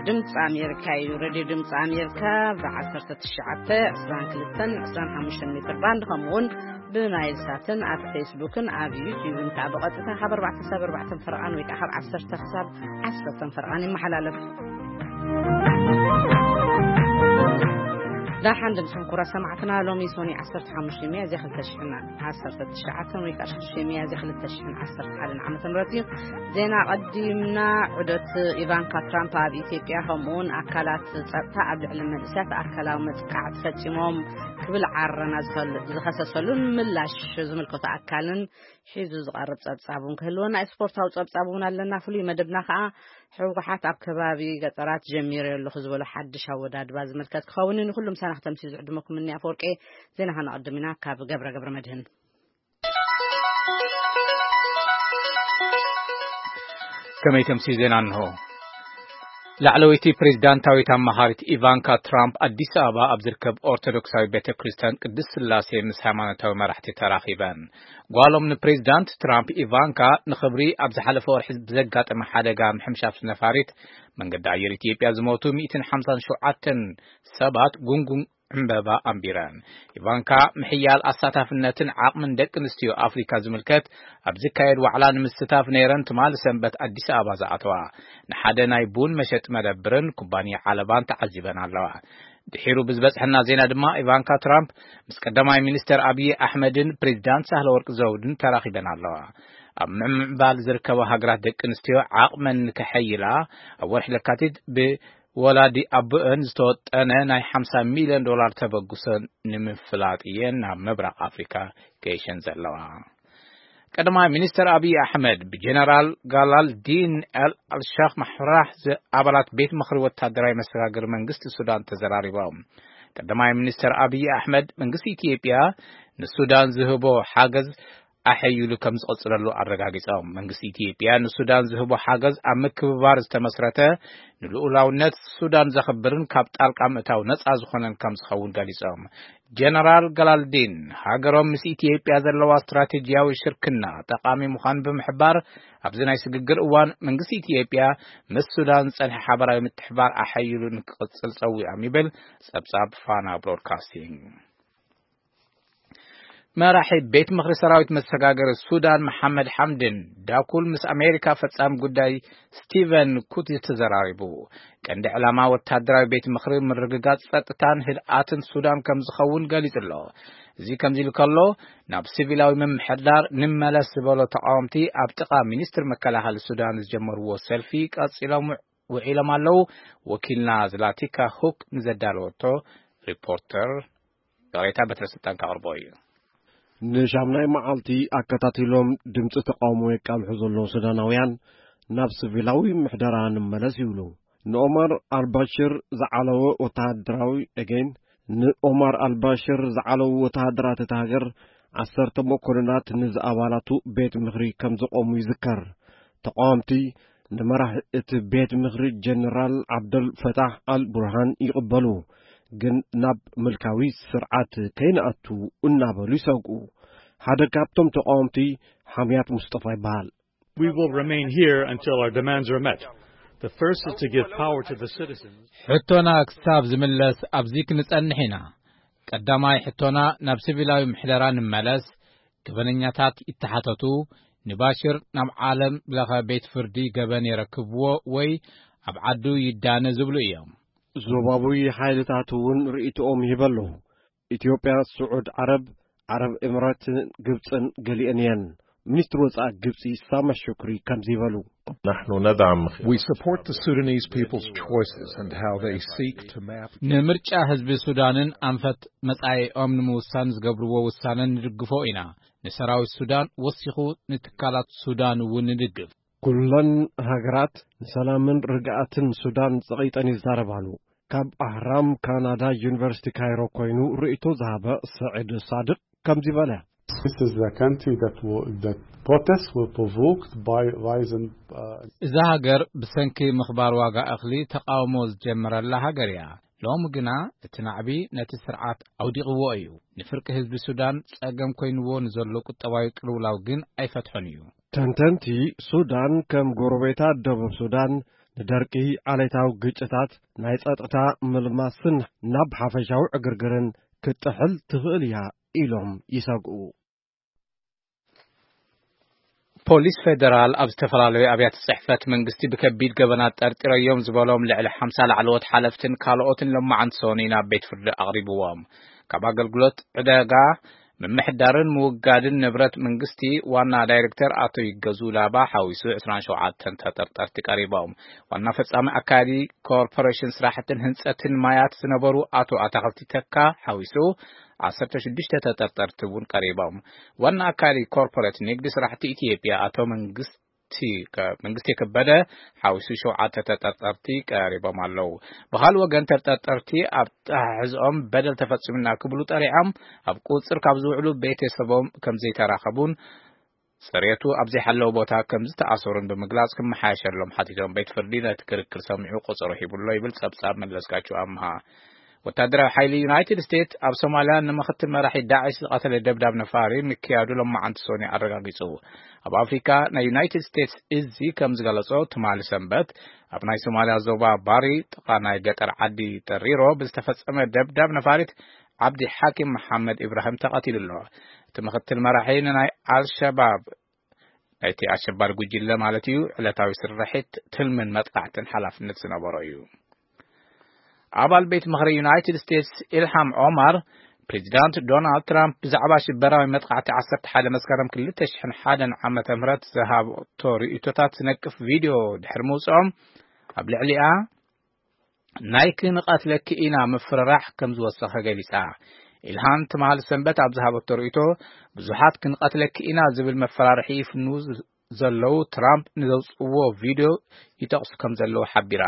ድምፂ ኣሜሪካ እዩ። ሬድዮ ድምፂ ኣሜሪካ ብ1922-25 ሜትር ባንድ፣ ከምኡውን ብናይል ሳትን ኣብ ፌስቡክን ኣብ ዩቲዩብን ከዓ ብቐጥታ ካብ ኣርባዕተ ክሳብ ኣርባዕተ ፈረቓን ወይ ከዓ ካብ ዓሰርተ ክሳብ ዓሰርተ ፈረቓን ይመሓላለፍ። ዳሓን ድምፅኩም ክቡራት ሰማዕትና፣ ሎሚ ሶኒ ዓሰርተ ሓሙሽተ ሚያዝያ ክልተ ሽሕን ዓሰርተ ትሽዓተን ወይ ከዓ ሽዱሽተ ሚያዝያ ክልተ ሽሕን ዓሰርተ ሓደን ዓመተ ምህረት እዩ። ዜና ቀዲምና። ዑደት ኢቫንካ ትራምፕ ኣብ ኢትዮጵያ፣ ከምኡውን ኣካላት ጸጥታ ኣብ ልዕሊ መንእሰያት ኣካላዊ መጥቃዕቲ ፈጺሞም ክብል ዓረና ዝኸል-፣ ዝኸሰሰሉን ምላሽ ዝምልከቱ ኣካልን ሒዙ ዝቐርብ ጸብጻብ እውን ክህልወና እዩ። ስፖርታዊ ጸብጻብ እውን ኣለና። ፍሉይ መደብና ከኣ ህወሓት ኣብ ከባቢ ገጠራት ጀሚረ ኣለኹ ዝበሎ ሓድሽ ኣወዳድባ ዝምልከት ክኸውን እዩ። ንኹሉም ሰናኽተምሲ ዝዕድመኩም እኒ ኣፈወርቄ። ዜና ከነቐድም ኢና ካብ ገብረ ገብረ መድህን። ከመይ ተምሲ ዜና እንሆ። ላዕለወይቲ ፕሬዝዳንታዊት ኣማኻሪት ኢቫንካ ትራምፕ ኣዲስ ኣበባ ኣብ ዝርከብ ኦርቶዶክሳዊ ቤተ ክርስቲያን ቅድስት ስላሴ ምስ ሃይማኖታዊ መራሕቲ ተራኺበን። ጓሎም ንፕሬዝዳንት ትራምፕ ኢቫንካ ንኽብሪ ኣብ ዝሓለፈ ወርሒ ብዘጋጠመ ሓደጋ ምሕምሻሽ ነፋሪት መንገዲ ኣየር ኢትዮጵያ ዝሞቱ ሚእትን ሓምሳን ሸውዓተን ሰባት ጉንጉን ዕምበባ ኣንቢረን። ኢቫንካ ምሕያል ኣሳታፍነትን ዓቕምን ደቂ ኣንስትዮ ኣፍሪካ ዝምልከት ኣብ ዝካየድ ዋዕላ ንምስታፍ ነይረን ትማሊ ሰንበት ኣዲስ ኣበባ ዝኣተዋ። ንሓደ ናይ ቡን መሸጢ መደብርን ኩባንያ ዓለባን ተዓዚበን ኣለዋ። ድሒሩ ብዝበጽሐና ዜና ድማ ኢቫንካ ትራምፕ ምስ ቀዳማይ ሚኒስተር ኣብዪ ኣሕመድን ፕሬዚዳንት ሳህለወርቅ ዘውድን ተራኺበን ኣለዋ። ኣብ ምዕባል ዝርከባ ሃገራት ደቂ ኣንስትዮ ዓቕመን ንከሐይላ ኣብ ወርሒ ለካቲት ብ ወላዲ ኣቦአን ዝተወጠነ ናይ ሓምሳ ሚልዮን ዶላር ተበግሶ ንምፍላጥ እየን ናብ ምብራቕ ኣፍሪካ ገይሸን ዘለዋ። ቀዳማይ ሚኒስተር ኣብዪ ኣሕመድ ብጀነራል ጋላልዲን ኤል ኣልሻኽ ማሕራህ ዝ-፣ ኣባላት ቤት ምኽሪ ወታደራዊ መሰጋገሪ መንግስቲ ሱዳን ተዘራሪቦም። ቀዳማይ ሚኒስተር ኣብዪ ኣሕመድ መንግስቲ ኢትዮጵያ ንሱዳን ዝህቦ ሓገዝ ኣሐይሉ ከም ዝቐጽለሉ ኣረጋጊጾም። መንግስቲ ኢትዮጵያ ንሱዳን ዝህቦ ሓገዝ ኣብ ምክብባር ዝተመስረተ፣ ንልኡላውነት ሱዳን ዘኽብርን ካብ ጣልቃ ምእታው ነጻ ዝኾነን ከም ዝኸውን ገሊጾም። ጀነራል ገላልዲን ሃገሮም ምስ ኢትዮጵያ ዘለዋ ስትራቴጂያዊ ሽርክና ጠቓሚ ምዃኑ ብምሕባር፣ ኣብዚ ናይ ስግግር እዋን መንግስቲ ኢትዮጵያ ምስ ሱዳን ዝጸንሐ ሓበራዊ ምትሕባር ኣሐይሉ ንክቕጽል ጸዊዖም ይብል ጸብጻብ ፋና ብሮድካስቲንግ። መራሒ ቤት ምኽሪ ሰራዊት መሰጋገሪ ሱዳን መሓመድ ሓምድን ዳኩል ምስ ኣሜሪካ ፈጻሚ ጉዳይ ስቲቨን ኩትዝ ተዘራሪቡ። ቀንዲ ዕላማ ወታደራዊ ቤት ምኽሪ ምርግጋጽ ጸጥታን ህድኣትን ሱዳን ከም ዝኸውን ገሊጹ ኣሎ። እዚ ከምዚ ኢሉ ከሎ፣ ናብ ሲቪላዊ ምምሕዳር ንመለስ ዝበሎ ተቃወምቲ ኣብ ጥቓ ሚኒስትሪ መከላኸሊ ሱዳን ዝጀመርዎ ሰልፊ ቀጺሎም ውዒሎም ኣለዉ። ወኪልና ዝላቲካ ሁክ ንዘዳለወቶ ሪፖርተር ይቕሬታ በትረ ስልጣን ከቕርቦ እዩ። ንሻምናይ መዓልቲ ኣከታቲሎም ድምፂ ተቃውሞ የቃልሑ ዘለዉ ሱዳናውያን ናብ ሲቪላዊ ምሕደራ ንመለስ ይብሉ። ንኦማር ኣልባሽር ዝዓለወ ወተሃደራዊ፣ again፣ ንኦማር ኣልባሽር ዝዓለዉ ወተሃደራት እታ ሃገር ዓሰርተ መኮንናት ንዝኣባላቱ ቤት ምኽሪ ከም ዘቆሙ ይዝከር። ተቃወምቲ ንመራሒ እቲ ቤት ምኽሪ ጀነራል ዓብደል ፈታሕ ኣል ቡርሃን ይቕበሉ፣ ግን ናብ ምልካዊ ስርዓት ከይንኣቱ እናበሉ ይሰግኡ። ሓደ ካብቶም ተቃወምቲ ሓምያት ሙስጠፋ ይበሃል። We will remain here until our demands are met. The first is to give power to the citizens. ሕቶና ክሳብ ዝምለስ ኣብዚ ክንጸንሕ ኢና። ቀዳማይ ሕቶና ናብ ሲቪላዊ ምሕደራ ንመለስ፣ ገበነኛታት ይተሓተቱ፣ ንባሽር ናብ ዓለም ለኸ ቤት ፍርዲ ገበን የረክብዎ ወይ ኣብ ዓዱ ይዳነ ዝብሉ እዮም። ዞባዊ ሓይልታት እውን ርእይቶኦም ይህቡ ኣለዉ። ኢትዮጵያ፣ ስዑድ ዓረብ፣ ዓረብ ኤምሬትን ግብፅን ገሊአን እየን። ሚኒስትሪ ወፃኢ ግብፂ ሳማ ሹክሪ ከምዚ ይበሉ። نحن ندعم We support the Sudanese people's choices and how they seek to map ንምርጫ ህዝቢ ሱዳንን ኣንፈት መጻኢኦም ንምውሳን ዝገብርዎ ውሳነ ንድግፎ ኢና። ንሰራዊት ሱዳን ወሲኹ ንትካላት ሱዳን እውን ንድግፍ። ኩለን ሃገራት ንሰላምን ርግኣትን ሱዳን ጸቒጠን ይዛረባሉ። ካብ ኣህራም ካናዳ ዩኒቨርሲቲ ካይሮ ኮይኑ ርእይቶ ዝሃበ ስዒድ ሳድቅ ከምዚ በለ። This is the country that will, that protests were provoked by rising, uh, እዛ ሃገር ብሰንኪ ምኽባር ዋጋ እኽሊ ተቃውሞ ዝጀመረላ ሃገር እያ። ሎሚ ግና እቲ ናዕቢ ነቲ ስርዓት ኣውዲቕዎ እዩ። ንፍርቂ ህዝቢ ሱዳን ጸገም ኮይንዎ ንዘሎ ቁጠባዊ ቅልውላው ግን ኣይፈትሖን እዩ። ተንተንቲ፣ ሱዳን ከም ጎረቤታ ደቡብ ሱዳን ንደርቂ፣ ዓሌታዊ ግጭታት፣ ናይ ጸጥታ ምልማስን ናብ ሓፈሻዊ ዕግርግርን ክትጥሕል ትኽእል እያ ኢሎም ይሰግኡ። ፖሊስ ፌደራል ኣብ ዝተፈላለዩ ኣብያተ ጽሕፈት መንግስቲ ብከቢድ ገበናት ጠርጢረዮም ዝበሎም ልዕሊ ሓምሳ ላዕለዎት ሓለፍትን ካልኦትን ሎማዓንቲ ሰኑይ ናብ ቤት ፍርዲ ኣቕሪብዎም። ካብ ኣገልግሎት ዕደጋ፣ ምምሕዳርን ምውጋድን ንብረት መንግስቲ ዋና ዳይሬክተር ኣቶ ይገዙ ላባ ሓዊሱ ዕስራን ሸውዓተን ተጠርጠርቲ ቀሪቦም። ዋና ፈጻሚ ኣካያዲ ኮርፖሬሽን ስራሕትን ህንጸትን ማያት ዝነበሩ ኣቶ ኣታኽልቲ ተካ ሓዊሱ ዓሰርተ ሽዱሽተ ተጠርጠርቲ እውን ቀሪቦም። ዋና ኣካሊ ኮርፖሬት ንግዲ ስራሕቲ ኢትዮጵያ ኣቶ መንግስቲ ከ-፣ መንግስቲ ከበደ ሓዊሱ ሸውዓተ ተጠርጠርቲ ቀሪቦም ኣለዉ። ብኻልእ ወገን ተጠርጠርቲ ኣብ ኣተሓሕዝኦም በደል ተፈጺሙና ክብሉ ጠሪዖም ኣብ ቁጽር ካብ ዝውዕሉ ቤተሰቦም ከም ዘይተራኸቡን ጽሬቱ ኣብ ዘይሓለወ ቦታ ከም ዝተኣሰሩን ብምግላጽ ክመሓየሸሎም ሓቲቶም ቤት ፍርዲ ነቲ ክርክር ሰሚዑ ቁጽሩ ሂቡሎ ይብል ጸብጻብ መለስካቸው ኣምሃ። ወታደራዊ ሓይሊ ዩናይትድ ስቴትስ ኣብ ሶማልያ ንምኽትል መራሒ ዳዕሽ ዝቐተለ ደብዳብ ነፋሪ ምክያዱ ሎማዓንቲ ሰኑይ ኣረጋጊጹ። ኣብ ኣፍሪካ ናይ ዩናይትድ ስቴትስ እዚ ከም ዝገለጾ ትማሊ ሰንበት ኣብ ናይ ሶማልያ ዞባ ባሪ ጥቓ ናይ ገጠር ዓዲ ጠሪሮ ብዝተፈጸመ ደብዳብ ነፋሪት ዓብዲ ሓኪም መሓመድ ኢብራሂም ተቐቲሉ ኣሎ። እቲ ምኽትል መራሒ ንናይ ኣልሸባብ ናይቲ ኣሸባሪ ጉጅለ ማለት እዩ ዕለታዊ ስርሒት ትልምን መጥቃዕትን ሓላፍነት ዝነበሮ እዩ። ኣባል ቤት ምኽሪ ዩናይትድ ስቴትስ ኢልሃም ኦማር ፕሬዚዳንት ዶናልድ ትራምፕ ብዛዕባ ሽበራዊ መጥቃዕቲ ዓሰርተ ሓደ መስከረም ክልተ ሽሕን ሓደን ዓመተ ምህረት ዝሃብቶ ርእይቶታት ዝነቅፍ ቪድዮ ድሕሪ ምውፅኦም ኣብ ልዕሊኣ ናይ ክንቐትለኪ ኢና ምፍርራሕ ከም ዝወሰኸ ገሊጻ። ኢልሃም ትማሊ ሰንበት ኣብ ዝሃበቶ ርእይቶ ብዙሓት ክንቐትለኪ ኢና ዝብል መፈራርሒ ይፍንዉ ዘለዉ ትራምፕ ንዘውፅዎ ቪድዮ ይጠቕሱ ከም ዘለዉ ሓቢራ።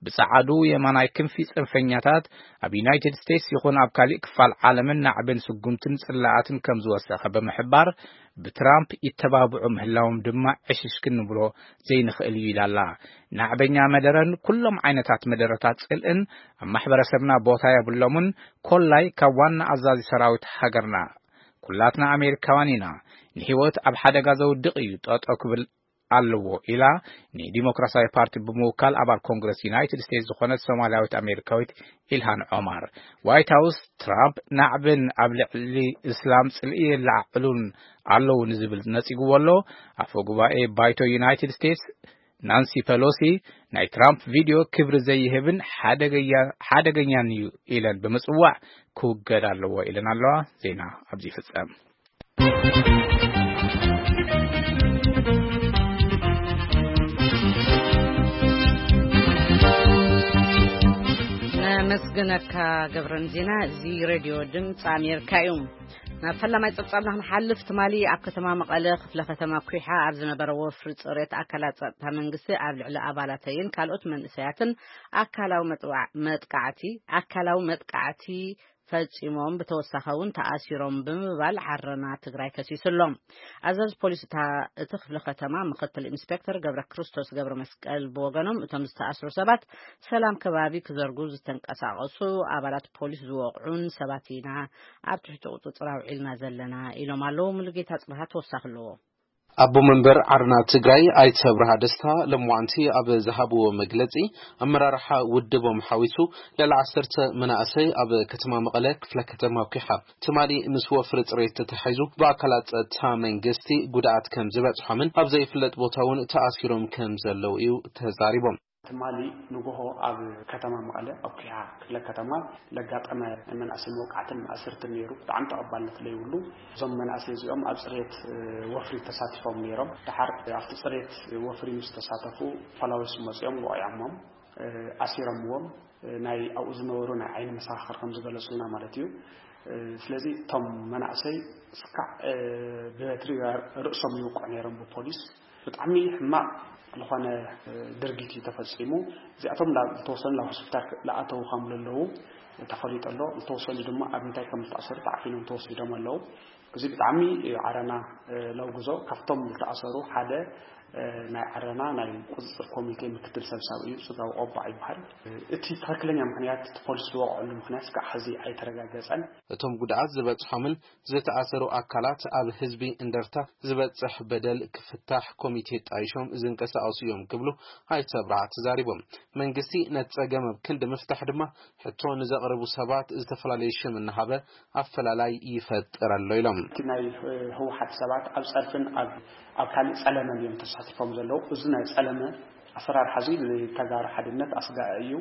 ብጸዓዱ የማናይ ክንፊ ጽንፈኛታት ኣብ ዩናይትድ ስቴትስ ይኹን ኣብ ካሊእ ክፋል ዓለምን ናዕብን ስጉምትን ጽላኣትን ከም ዝወሰኸ ብምሕባር ብትራምፕ ይተባብዑ ምህላዎም ድማ ዕሽሽ ክንብሎ ዘይንኽእል እዩ ኢላ ኣላ። ናዕበኛ መደረን ኩሎም ዓይነታት መደረታት ጽልእን ኣብ ማሕበረሰብና ቦታ የብሎምን። ኮላይ ካብ ዋና ኣዛዚ ሰራዊት ሃገርና ኩላትና ኣሜሪካውያን ኢና። ንህይወት ኣብ ሓደጋ ዘውድቕ እዩ ጠጠው ክብል ኣለዎ ኢላ ንዲሞክራሲያዊ ፓርቲ ብምውካል ኣባል ኮንግረስ ዩናይትድ ስቴትስ ዝኾነት ሶማልያዊት ኣሜሪካዊት ኢልሃን ዖማር። ዋይት ሃውስ ትራምፕ ናዕብን ኣብ ልዕሊ እስላም ጽልኢ የለዓዕሉን ኣለዉ ንዝብል ነጺግዎ ኣሎ። ኣፈ ጉባኤ ባይቶ ዩናይትድ ስቴትስ ናንሲ ፐሎሲ ናይ ትራምፕ ቪድዮ ክብሪ ዘይህብን ሓደገያ-፣ ሓደገኛን እዩ ኢለን ብምጽዋዕ ክውገድ ኣለዎ ኢለን ኣለዋ። ዜና ኣብዚ ይፍጸም። ነመስግነካ ገብረን ዜና። እዚ ሬድዮ ድምፂ ኣሜሪካ እዩ። ናብ ፈላማይ ጸብጻብና ክንሓልፍ፣ ትማሊ ኣብ ከተማ መቐለ ክፍለ ከተማ ኩሓ ኣብ ዝነበረ ወፍሪ ጽሬት ኣካላት ጸጥታ መንግስቲ ኣብ ልዕሊ ኣባላተይን ካልኦት መንእሰያትን ኣካላዊ መጥዋዕ-፣ መጥቃዕቲ፣ ኣካላዊ መጥቃዕቲ ፈጺሞም፣ ብተወሳኺ እውን ተኣሲሮም ብምባል ዓረና ትግራይ ከሲሱ ኣሎ። ኣዛዚ ፖሊስ እታ፣ እቲ ክፍለ ከተማ ምክትል ኢንስፔክተር ገብረ ክርስቶስ ገብረ መስቀል ብወገኖም፣ እቶም ዝተኣስሩ ሰባት ሰላም ከባቢ ክዘርጉ ዝተንቀሳቐሱ ኣባላት ፖሊስ ዝወቕዑን ሰባት ኢና ኣብ ትሕቲ ቁጽጽር ኣውዒልና ዘለና ኢሎም ኣለዉ። ሙሉጌታ ጽብሃ ተወሳኺ ኣለዎ። ኣቦ መንበር ዓርና ትግራይ ኣይተ ኣብርሃ ደስታ ለምዋንቲ ኣብ ዝሃብዎ መግለጺ፣ ኣመራርሓ ውድቦም ሓዊሱ ልዕሊ ዓሰርተ መናእሰይ ኣብ ከተማ መቐለ ክፍለ ከተማ ኩሓ ትማሊ ምስ ወፍሪ ጽሬት ተታሒዙ ብኣካላት ጸጥታ መንግስቲ ጉድኣት ከም ዝበጽሖምን ኣብ ዘይፍለጥ ቦታ እውን ተኣሲሮም ከም ዘለዉ እዩ ተዛሪቦም። ትማሊ ንጎሆ ኣብ ከተማ መቐለ ኣብ ኩሓ ክፍለ ከተማ ለጋጠመ ናይ መናእሰይ መውቃዕትን ማእሰርትን ነይሩ። ብጣዕሚ ተቐባልነት ለይብሉ። እዞም መናእሰይ እዚኦም ኣብ ጽሬት፣ እ፣ ወፍሪ ተሳቲፎም ነይሮም። ደሓር ኣብቲ ጽሬት ወፍሪ ምስ ተሳተፉ ፖላዊስ መጺኦም ወቒዖሞም፣ እ፣ ኣሲሮምዎም፣ እ፣ ናይ ኣብኡ ዝነበሩ ናይ ዓይኒ መሰኻኽር ከም ዝገለጹልና ማለት እዩ። እ፣ ስለዚ እቶም መናእሰይ እስካዕ፣ እ፣ ብበትሪ ርእሶም ይውቅዑ ነይሮም ብፖሊስ። ብጣዕሚ ሕማቕ ዝኾነ፣ እ፣ ድርጊት እዩ ተፈጺሙ። እዚኣቶም ላ-፣ ዝተወሰኑ ናብ ሆስፒታል ክ-፣ ለኣተዉ ከም ዘለዉ ተፈሊጡ ኣሎ። ዝተወሰኑ ድማ ኣብ ምንታይ ከም ዝተኣሰሩ ተዓፊኖም ተወሲዶም ኣለዉ። እዚ ብጣዕሚ ዓረና ነውግዞ። ካብቶም ዝተኣሰሩ ሓደ ናይ ዓረና ናይ ቁፅፅር ኮሚቴ ምክትል ሰብሳቢ እዩ፣ ፅጋቡ ቆባዕ ይበሃል። እቲ ትኽክለኛ ምክንያት፣ እቲ ፖሊስ ዝወቕዐሉ ምክንያት እስካዕ ሕዚ ኣይተረጋገፀን። እቶም ጉድኣት ዝበፅሖምን ዝተኣሰሩ ኣካላት ኣብ ህዝቢ እንደርታ ዝበፅሕ በደል ክፍታሕ ኮሚቴ ጣይሾም ዝንቀሳቐሱ እዮም ክብሉ ኣይተ ኣብርሃ ተዛሪቦም። መንግስቲ ነቲ ፀገም ኣብ ክንዲ ምፍታሕ ድማ ሕቶ ንዘቕርቡ ሰባት ዝተፈላለየ ሽም እናሃበ ኣፈላላይ ይፈጥር ኣሎ ኢሎም። እቲ ናይ ህወሓት ሰባት ኣብ ፀርፍን ኣብ ካልእ ፀለመን እዮም ተሳቲፎም ዘለዉ። እዚ ናይ ፀለመ ኣሰራርሓ እዚ ንተጋሩ ሓድነት ኣስጋኢ እዩ።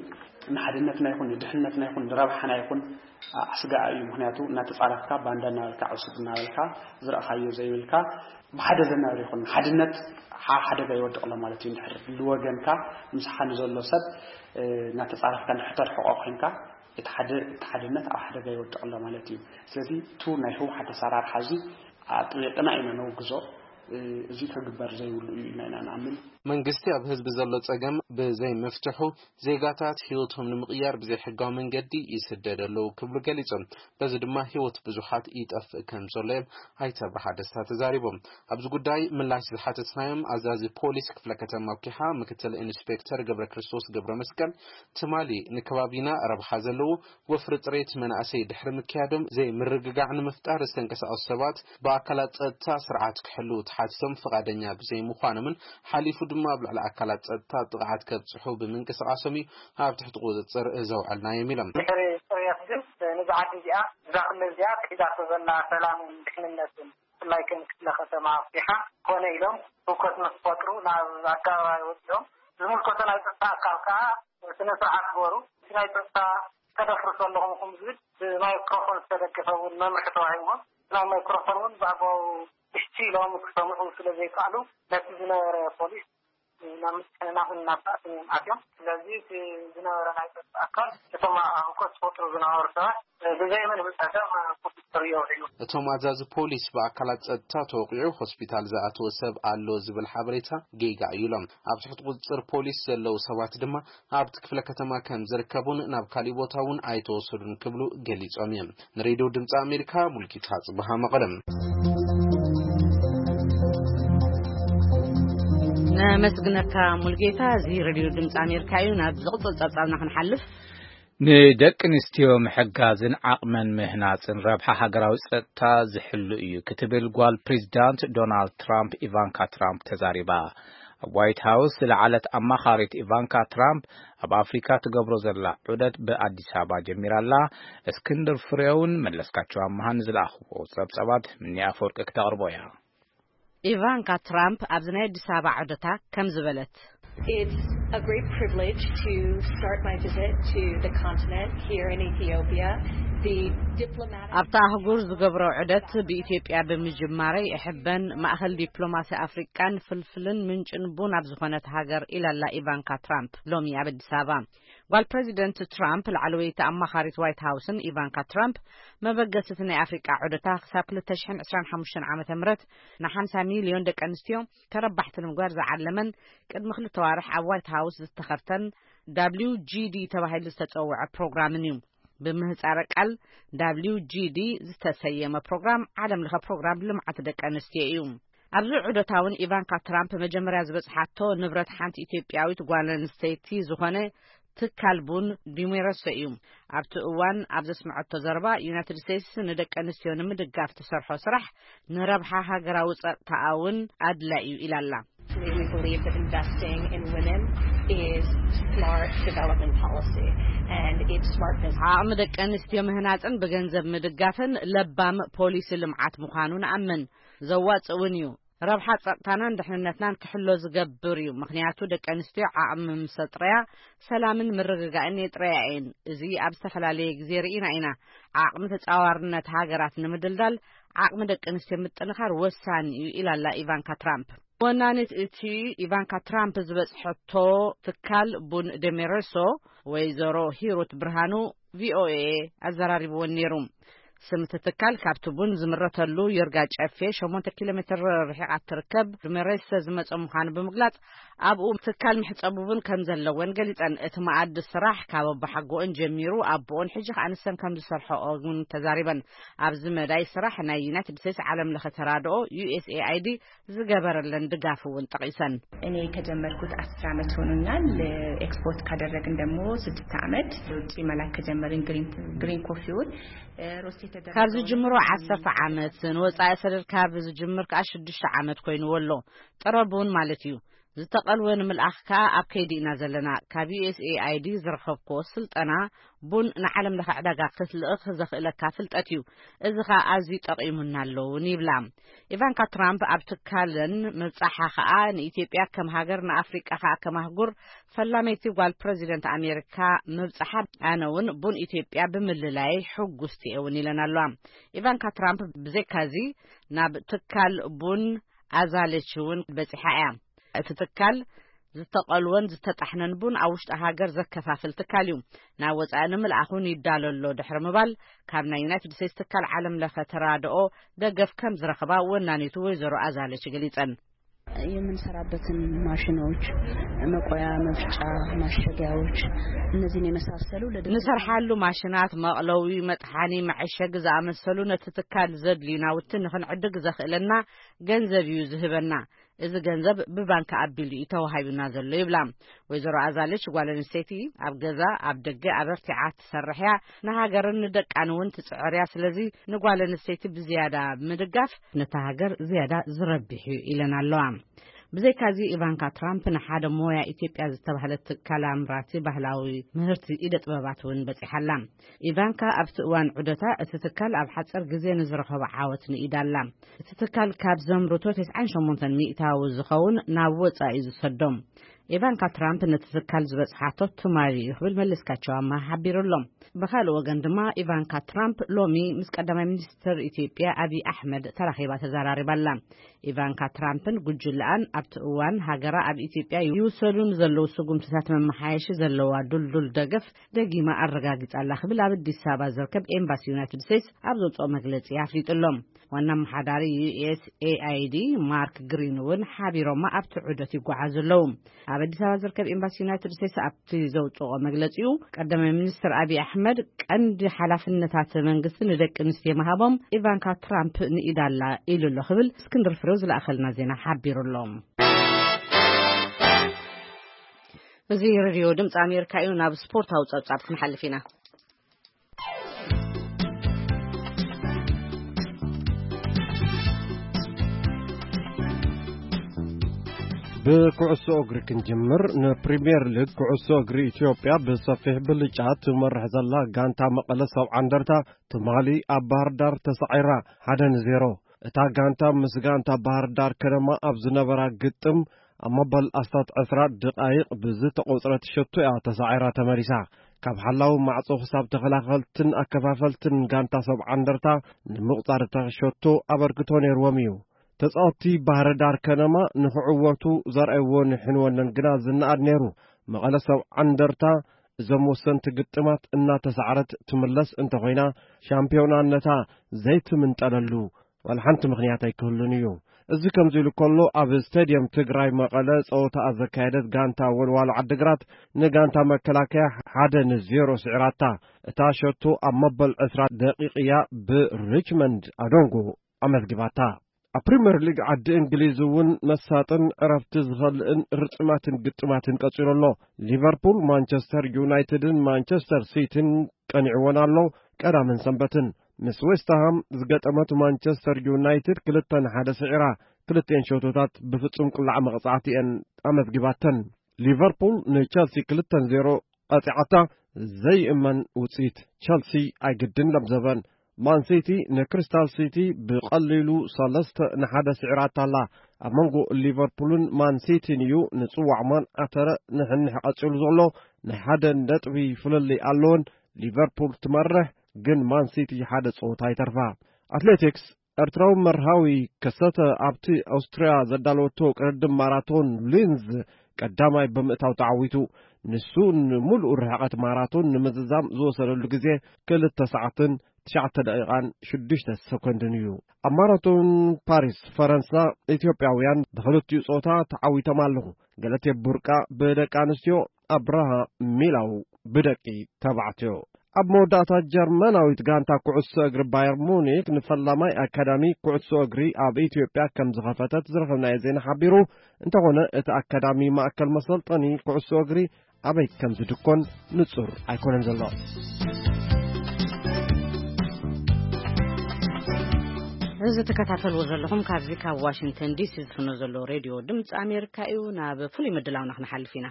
ንሓድነትና ይኹን ንድሕነትና ይኹን ንረብሓና ይኹን ኣስጋኢ እዩ። ምክንያቱ እናተፃረፍካ ባንዳ እናበልካ ዕሱብ እናበልካ ዝረእኻዮ ዘይብልካ ብሓደ ዘናብር ይኹን ሓድነት ሓደጋ ይወድቕ ኣሎ ማለት እዩ። ንድሕር ልወገንካ ምሳኻ ንዘሎ ሰብ እናተፃረፍካ ንሕተርሕቆ ኮይንካ እቲ ሓደ እቲ ሓድነት ኣብ ሓደጋ ይወድቕ ኣሎ ማለት እዩ። ስለዚ እቱ ናይ ህወሓት ኣሰራርሓ እዚ ኣጥቢቕና ኢና ነውግዞ። እዚ ክግበር ዘይብሉ እዩ ኢና ኢና ንኣምን። መንግስቲ ኣብ ህዝቢ ዘሎ ፀገም ብዘይምፍትሑ ዜጋታት ህይወቶም ንምቕያር ብዘይሕጋዊ መንገዲ ይስደድ ኣለዉ ክብሉ ገሊጾም። በዚ ድማ ህይወት ብዙሓት ይጠፍእ ከም ዘሎ እዮም ኣይተ ኣብርሃ ደስታ ተዛሪቦም። ኣብዚ ጉዳይ ምላሽ ዝሓተትናዮም ኣዛዚ ፖሊስ ክፍለ ከተማ ኩሓ ምክትል ኢንስፔክተር ገብረ ክርስቶስ ገብረ መስቀል ትማሊ ንከባቢና ረብሓ ዘለዎ ወፍሪ ፅሬት መናእሰይ ድሕሪ ምክያዶም ዘይምርግጋዕ ንምፍጣር ዝተንቀሳቐሱ ሰባት ብኣካላት ፀጥታ ስርዓት ክሕልዉ ተሓቲቶም ፍቓደኛ ብዘይምዃኖምን ሓሊፉ ድማ ኣብ ልዕሊ ኣካላት ፀጥታ ጥቕዓት ከብፅሑ ብምንቅስቓሶም እዩ ኣብ ትሕቲ ቁፅፅር ዘውዐልናዮም ኢሎም። ድሕሪ ፅርየት ግን ነዛ ዓዲ እዚኣ፣ እዛ ክልል እዚኣ ክሒዳቶ ዘላ ሰላምን ድሕንነትን፣ ብፍላይ ከም ክፍለ ከተማ ኣፍሪሓ ኮነ ኢሎም ህውከት ንክፈጥሩ ናብ ኣደባባይ ወፂኦም። ዝምልከቶ ናይ ፀጥታ ኣካል ከዓ ስነ ስርዓት ግበሩ፣ እቲ ናይ ፀጥታ ተደፍርሱ ኣለኹም ዝብል ብማይክሮፎን ዝተደገፈ እውን መምርሒ ተዋሂብዎም። ናይ ማይክሮፎን እውን ብኣግባቡ ብሽቲ ኢሎም ክሰምዑ ስለ ዘይከኣሉ ነቲ ዝነበረ ፖሊስ ናብ ምትሕንናቕን ናብ ባእስን እዮም ኣትዮም። ስለዚ እቲ ዝነበረ ናይ ፀጥታ ኣካል እቶም ኣብ ህውከት ዝፈጥሩ ዝነበሩ ሰባት ብዘይ ምንም ፀገም ቁፅፅር የውዒሉ። እቶም ኣዛዚ ፖሊስ ብኣካላት ፀጥታ ተወቒዑ ሆስፒታል ዝኣተወ ሰብ ኣሎ ዝብል ሓበሬታ ጌጋ እዩ ኢሎም። ኣብ ትሕቲ ቁፅፅር ፖሊስ ዘለዉ ሰባት ድማ ኣብቲ ክፍለ ከተማ ከም ዝርከቡን ናብ ካሊእ ቦታ እውን ኣይተወሰዱን ክብሉ ገሊፆም እዮም። ንሬድዮ ድምፂ ኣሜሪካ ሙልጌታ ጽበሃ መቐለም። ነመስግነካ ሙልጌታ። እዚ ሬድዮ ድምፂ ኣሜሪካ እዩ። ናብ ዝቕፅል ጸብጻብና ክንሓልፍ፣ ንደቂ ኣንስትዮ ምሕጋዝን ዓቕመን ምህናጽን ረብሓ ሃገራዊ ጸጥታ ዝሕሉ እዩ ክትብል ጓል ፕሬዚዳንት ዶናልድ ትራምፕ ኢቫንካ ትራምፕ ተዛሪባ። ኣብ ዋይት ሃውስ ዝለዓለት ኣማኻሪት ኢቫንካ ትራምፕ ኣብ ኣፍሪካ ትገብሮ ዘላ ዑደት ብኣዲስ ኣበባ ጀሚራ ኣላ። እስክንድር ፍሬውን መለስካቸው ኣመሃን ዝለኣኽዎ ጸብጻባት ምኒ ኣፈወርቂ ክተቕርቦ እያ። ኢቫንካ ትራምፕ ኣብዚ ናይ ኣዲስ ኣበባ ዑደታ ከምዚ በለት። It's a great privilege to start my visit to the continent here in Ethiopia. The diplomatic ኣብታ ኣህጉር ዝገብሮ ዑደት ብኢትዮጵያ ብምጅማረይ እሕበን። ማእኸል ዲፕሎማሲ ኣፍሪቃን ፍልፍልን ምንጭን ቡን ኣብ ዝኾነት ሃገር ኢላላ ኢቫንካ ትራምፕ ሎሚ ኣብ ኣዲስ ኣበባ። ጓል ፕሬዚደንት ትራምፕ ላዕለወይቲ ኣማኻሪት ዋይት ሃውስን ኢቫንካ ትራምፕ መበገሲቲ ናይ ኣፍሪቃ ዑደታ ክሳብ ክልተ ሽሕን ዕስራን ሓሙሽተን ዓመተ ምህረት ንሓምሳ ሚልዮን ደቂ ኣንስትዮ ተረባሕቲ ንምግባር ዝዓለመን ቅድሚ ክልተ ዋርሕ ኣብ ዋይት ሃውስ ዝተኸርተን ዳብሊው ጂ ዲ ተባሂሉ ዝተጸውዐ ፕሮግራምን እዩ። ብምህጻረ ቃል ዳብሊው ጂ ዲ ዝተሰየመ ፕሮግራም ዓለም ለኸ ፕሮግራም ልምዓት ደቂ ኣንስትዮ እዩ። ኣብዚ ዑደታ እውን ኢቫንካ ትራምፕ መጀመርያ ዝበጽሓቶ ንብረት ሓንቲ ኢትዮጵያዊት ጓል ኣንስተይቲ ዝኾነ ትካል ቡን ዲሜረሶ እዩ። ኣብቲ እዋን ኣብ ዘስምዐቶ ዘረባ ዩናይትድ ስቴትስ ንደቂ ኣንስትዮ ንምድጋፍ ትሰርሖ ስራሕ ንረብሓ ሃገራዊ ጸጥታኣ እውን ኣድላይ እዩ ኢላላ። We believe that investing in women is smart development policy and it's smart business. ዓቕሚ ደቂ ኣንስትዮ ምህናፅን ብገንዘብ ምድጋፍን ለባም ፖሊሲ ልምዓት ምዃኑ ንኣምን። ዘዋፅእ እውን እዩ። ረብሓ ጸጥታናን ድሕንነትናን ክሕሎ ዝገብር እዩ። ምኽንያቱ ደቂ ኣንስትዮ ዓቕሚ ምስ ኣጥረያ ሰላምን ምርግጋእን የጥረያ እየን። እዚ ኣብ ዝተፈላለየ ግዜ ርኢና ኢና። ዓቕሚ ተጻዋርነት ሃገራት ንምድልዳል ዓቕሚ ደቂ ኣንስትዮ ምጥንኻር ወሳኒ እዩ ኢላላ ኢቫንካ ትራምፕ። ወናኒት እቲ ኢቫንካ ትራምፕ ዝበጽሐቶ ትካል ቡን ደሜረሶ ወይዘሮ ሂሩት ብርሃኑ ቪኦኤ ኣዘራሪብወን ነይሩ። ስም እቲ ትካል ካብቲ ቡን ዝምረተሉ ዮርጋ ጨፌ ሸሞንተ ኪሎ ሜትር ርሒቓ ትርከብ ዱሜሬሰ ዝመጸ ምዃኑ ብምግላጽ፣ ኣብኡ ትካል መሕጸቢ ቡን ከም ዘለወን ገሊጸን። እቲ መኣዲ ስራሕ ካብ ኣቦሓጎኦን ጀሚሩ ኣቦኦን ሕጂ ከኣ ንሰን ከም ዝሰርሐኦ እውን ተዛሪበን። ኣብዚ መዳይ ስራሕ ናይ ዩናይትድ ስቴትስ ዓለም ለኸ ተራድኦ ዩ ኤስ ኤ ኣይ ዲ ዝገበረለን ድጋፍ እውን ጠቒሰን። እኔ ከጀመርኩት አስር ዓመት ሆኖኛል። ኤክስፖርት ካደረግን ደግሞ ስድስት ዓመት። ውጭ መላክ ከጀመርን ግሪን፣ ግሪን ኮፊውን ሮስት የተደረገውን ካብዚ ጅምሮ ዓሰርተ ዓመት፣ ንወጻኢ ሰደድ ካብ ዝጅምር ከኣ ሽዱሽተ ዓመት ኮይንዎ ኣሎ። ጥረ ቡን ማለት እዩ። ዝተቐልወ ንምልኣኽ ከኣ ኣብ ከይዲ ኢና ዘለና። ካብ ዩ ኤስ ኤ ኣይ ዲ ዝረኸብክዎ ስልጠና ቡን ንዓለም ለኸ ዕዳጋ ክትልእኽ ዘኽእለካ ፍልጠት እዩ። እዚ ኸኣ ኣዝዩ ጠቒሙና ኣሎ እውን ይብላ። ኢቫንካ ትራምፕ ኣብ ትካለን ምብጻሓ ኸኣ ንኢትዮጵያ ከም ሃገር፣ ንኣፍሪቃ ኸኣ ከም ኣህጉር ፈላመይቲ ጓል ፕረዚደንት ኣሜሪካ ምብጻሓ፣ ኣነ እውን ቡን ኢትዮጵያ ብምልላይ ሕጉስቲ እየ እውን ኢለን ኣለዋ። ኢቫንካ ትራምፕ ብዘይካዚ ናብ ትካል ቡን ኣዛለች እውን በጺሓ እያ። እቲ ትካል ዝተቐልወን ዝተጣሕነን ቡን ኣብ ውሽጢ ሃገር ዘከፋፍል ትካል እዩ። ናብ ወጻኢ ንምልኣኹን ይዳሎ ኣሎ ድሕሪ ምባል፣ ካብ ናይ ዩናይትድ ስቴትስ ትካል ዓለም ለኸ ተራድኦ ደገፍ ከም ዝረኽባ ወናኒቱ ወይዘሮ ኣዛለች ገሊጸን። የምንሰራበትን ማሽኖች፣ መቆያ፣ መፍጫ፣ ማሸጊያዎች፣ እነዚህን የመሳሰሉ ለድርጅት ንሰርሓሉ ማሽናት፣ መቕለዊ፣ መጥሓኒ፣ መዐሸጊ ዝኣመሰሉ ነቲ ትካል ዘድልዩ ናውቲ ንኽንዕድግ ዘኽእለና ገንዘብ እዩ ዝህበና። እዚ ገንዘብ ብባንክ ኣቢሉ እዩ ተዋሂቡና ዘሎ ይብላ። ወይዘሮ ኣዛለች ጓል ኣንስተይቲ ኣብ ገዛ፣ ኣብ ደገ ኣበርቲዓ ትሰርሕ እያ። ንሃገርን ንደቃን እውን ትጽዕር እያ። ስለዚ ንጓል ኣንስተይቲ ብዝያዳ ምድጋፍ ነታ ሃገር ዝያዳ ዝረብሕ እዩ ኢለን ኣለዋ። ብዘይካዚ ኢቫንካ ትራምፕ ንሓደ ሞያ ኢትዮጵያ ዝተባህለት ትካል ኣምራቲ ባህላዊ ምህርቲ ኢደ ጥበባት እውን በጺሓላ። ኢቫንካ ኣብቲ እዋን ዑደታ እቲ ትካል ኣብ ሓጸር ግዜ ንዝረኸቦ ዓወት ንኢዳ ኣላ። እቲ ትካል ካብ ዘምርቶ ተስዓን ሸሞንተን ሚእታዊ ዝኸውን ናብ ወጻኢ እዩ ዝሰዶም። ኢቫንካ ትራምፕ ነቲ ትካል ዝበጽሓቶ ትማሊ እዩ ክብል መለስካቸው ኣማሃ ሓቢሩ ኣሎ። ብኻልእ ወገን ድማ ኢቫንካ ትራምፕ ሎሚ ምስ ቀዳማይ ሚኒስትር ኢትዮጵያ ኣብይ ኣሕመድ ተራኺባ ተዘራሪባ ኣላ። ኢቫንካ ትራምፕን ጉጅለኣን ኣብቲ እዋን ሃገራ ኣብ ኢትዮጵያ ይውሰዱ ንዘለዉ ስጉምትታት መመሓየሺ ዘለዋ ዱልዱል ደገፍ ደጊማ ኣረጋጊጻ ኣላ ክብል ኣብ ኣዲስ ኣበባ ዝርከብ ኤምባሲ ዩናይትድ ስቴትስ ኣብ ዘውፅኦ መግለጺ ኣፍሊጡ ኣሎ። ዋና ኣመሓዳሪ ዩ ኤስ ኤ ኣይ ዲ ማርክ ግሪን እውን ሓቢሮማ ኣብቲ ዑደት ይጓዓዙ ኣለዉ። ኣብ ኣዲስ ኣበባ ዝርከብ ኤምባሲ ዩናይትድ ስቴትስ ኣብቲ ዘውፅኦ መግለፂኡ፣ ቀዳማይ ሚኒስትር ኣብይ ኣሕመድ ቀንዲ ሓላፍነታት መንግስቲ ንደቂ ኣንስትዮ ምሃቦም ኢቫንካ ትራምፕ ንኢዳ ኣላ ኢሉ ኣሎ ክብል እስክንድር ፍሬው ዝለኣኸልና ዜና ሓቢሩ ኣሎ። እዚ ሬድዮ ድምፂ ኣሜሪካ እዩ። ናብ ስፖርታዊ ፀብፃብ ክንሓልፍ ኢና። ብኩዕሶ እግሪ ክንጅምር፣ ንፕሪምየር ሊግ ኩዕሶ እግሪ ኢትዮጵያ ብሰፊሕ ብልጫ ትመርሕ ዘላ ጋንታ መቐለ ሰብዓ እንደርታ ትማሊ ኣብ ባህር ዳር ተሳዒራ፣ ሓደ ንዜሮ። እታ ጋንታ ምስ ጋንታ ባህር ዳር ከነማ ኣብ ዝነበራ ግጥም፣ ኣብ መበል ኣስታት ዕስራ ደቓይቕ ብዝተቖጽረት ሸቶ እያ ተሳዒራ ተመሊሳ። ካብ ሓላዊ ማዕጾ ክሳብ ተኸላኸልትን ኣከፋፈልትን ጋንታ ሰብዓ እንደርታ ንምቑጻር እታ ሸቶ ኣበርክቶ ነይርዎም እዩ። ተጻወትቲ ባህር ዳር ከነማ ንኽዕወቱ ዘርኣይዎ ንሕንወለን ግና ዝነኣድ ነይሩ። መቐለ ሰብዓ እንደርታ እዞም ወሰንቲ ግጥማት እናተሳዕረት ትምለስ እንተኾይና፣ ሻምፒዮናነታ ዘይትምንጠለሉ ዋላ ሓንቲ ምኽንያት ኣይክህሉን እዩ። እዚ ከምዚ ኢሉ ከሎ፣ ኣብ ስቴድየም ትግራይ መቐለ ጸወታኣ ዘካየደት ጋንታ ወልዋሎ ዓድግራት ንጋንታ መከላከያ ሓደ ንዜሮ ስዒራታ። እታ ሸቶ ኣብ መበል ዕስራ ደቂቕ እያ ብሪችመንድ ኣዶንጎ ኣመዝጊባታ። ኣብ ፕሪምየር ሊግ ዓዲ እንግሊዝ እውን መሳጥን ዕረፍቲ ዝኸልእን ርጥማትን ግጥማትን ቀጺሉ ኣሎ። ሊቨርፑል ማንቸስተር ዩናይትድን ማንቸስተር ሲቲን ቀኒዕወን ኣሎ። ቀዳምን ሰንበትን ምስ ዌስትሃም ዝገጠመት ማንቸስተር ዩናይትድ ክልተ ንሓደ ስዒራ፣ ክልቲኤን ሸቶታት ብፍጹም ቅላዕ መቕጻዕቲ እየን ኣመዝጊባተን። ሊቨርፑል ንቸልሲ ክልተ ንዜሮ ቀጺዓታ። ዘይእመን ውጽኢት። ቸልሲ ኣይግድን ለምዘበን። ማን ሲቲ ንክሪስታል ሲቲ ብቐሊሉ ሰለስተ ንሓደ ስዒራታ ኣላ። ኣብ መንጎ ሊቨርፑልን ማን ሲቲን እዩ ንጽዋዕ ማን ኣተረ ንሕንሕ ቀጺሉ ዘሎ። ናይ ሓደ ነጥቢ ፍልልይ ኣለወን። ሊቨርፑል ትመርሕ፣ ግን ማን ሲቲ ሓደ ጸወታ ይተርፋ። ኣትሌቲክስ፣ ኤርትራዊ መርሃዊ ከሰተ ኣብቲ ኣውስትርያ ዘዳለወቶ ቅድድም ማራቶን ሊንዝ ቀዳማይ ብምእታው ተዓዊቱ። ንሱ ንምሉእ ርሕቀት ማራቶን ንምዝዛም ዝወሰደሉ ግዜ ክልተ ሰዓትን ትሽዓተ ደቂቓን ሽዱሽተ ሰኮንድን እዩ። ኣብ ማራቶን ፓሪስ ፈረንሳ፣ ኢትዮጵያውያን ብኽልቲኡ ጾታ ተዓዊቶም ኣለኹ። ገለቴ ቡርቃ ብደቂ ኣንስትዮ፣ ኣብርሃ ሚላው ብደቂ ተባዕትዮ። ኣብ መወዳእታ፣ ጀርመናዊት ጋንታ ኩዕሶ እግሪ ባየር ሙኒክ ንፈላማይ ኣካዳሚ ኩዕሶ እግሪ ኣብ ኢትዮጵያ ከም ዝኸፈተት ዝረኸብናዮ ዜና ሓቢሩ። እንተኾነ፣ እቲ ኣካዳሚ ማእከል መሰልጠኒ ኩዕሶ እግሪ ኣበይ ከም ዝድኮን ንጹር ኣይኮነን ዘሎ። እዚ ትከታተልዎ ዘለኹም ካብዚ ካብ ዋሽንግተን ዲሲ ዝፍኖ ዘሎ ሬድዮ ድምፂ ኣሜሪካ እዩ። ናብ ፍሉይ ምድላውና ክንሓልፍ ኢና።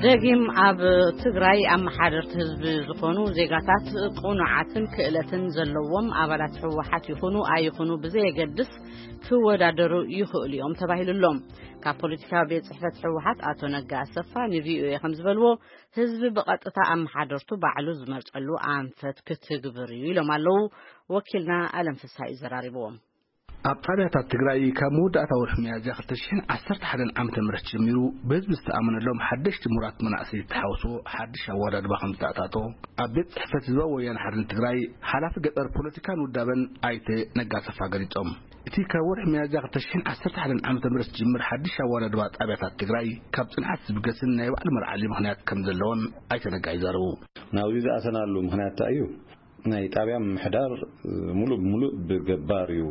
ደጊም ኣብ ትግራይ ኣመሓደርቲ ህዝቢ ዝኾኑ ዜጋታት ቅኑዓትን ክእለትን ዘለዎም ኣባላት ህወሓት ይኹኑ ኣይኹኑ ብዘየገድስ ክወዳደሩ ይኽእሉ እዮም ተባሂሉሎም። ካብ ፖለቲካዊ ቤት ጽሕፈት ህወሓት ኣቶ ነጋ ኣሰፋ ንቪኦኤ ከም ዝበልዎ፣ ህዝቢ ብቐጥታ ኣመሓደርቱ ባዕሉ ዝመርጸሉ ኣንፈት ክትግብር እዩ ኢሎም ኣለዉ። ወኪልና ኣለም ፍስሃ እዩ ዘራሪብዎም። ኣብ ጣብያታት ትግራይ ካብ መወዳእታ ወርሒ ሚያዝያ ክልተ ሽሕን ዓሰርተ ሓደን ዓመተ ምህረት ጀሚሩ ብህዝቢ ዝተኣመነሎም ሓደሽቲ ምሁራት መናእሰይ ዝተሓወስዎ ሓድሽ ኣወዳድባ ከም ዝተኣታቶ ኣብ ቤት ጽሕፈት ህዝባዊ ወያነ ሓርነት ትግራይ ሓላፊ ገጠር ፖለቲካን ውዳበን ኣይተ ነጋ ኣሰፋ ገሊጾም። እቲ ካብ ወርሒ ሚያዝያ ክልተ ሽሕን ዓሰርተ ሓደን ዓመተ ምህረት ዝጅምር ሓድሽ ኣወዳድባ ጣብያታት ትግራይ ካብ ጽንዓት ዝብገስን ናይ ባዕሊ መርዓሊ ምኽንያት ከም ዘለዎን ኣይተ ነጋ ይዛረቡ። ናብዚ ዝኣተናሉ ምኽንያት እንታይ እዩ? ናይ ጣብያ ምምሕዳር፣ እ፣ ሙሉእ ብሙሉእ ብገባር እዩ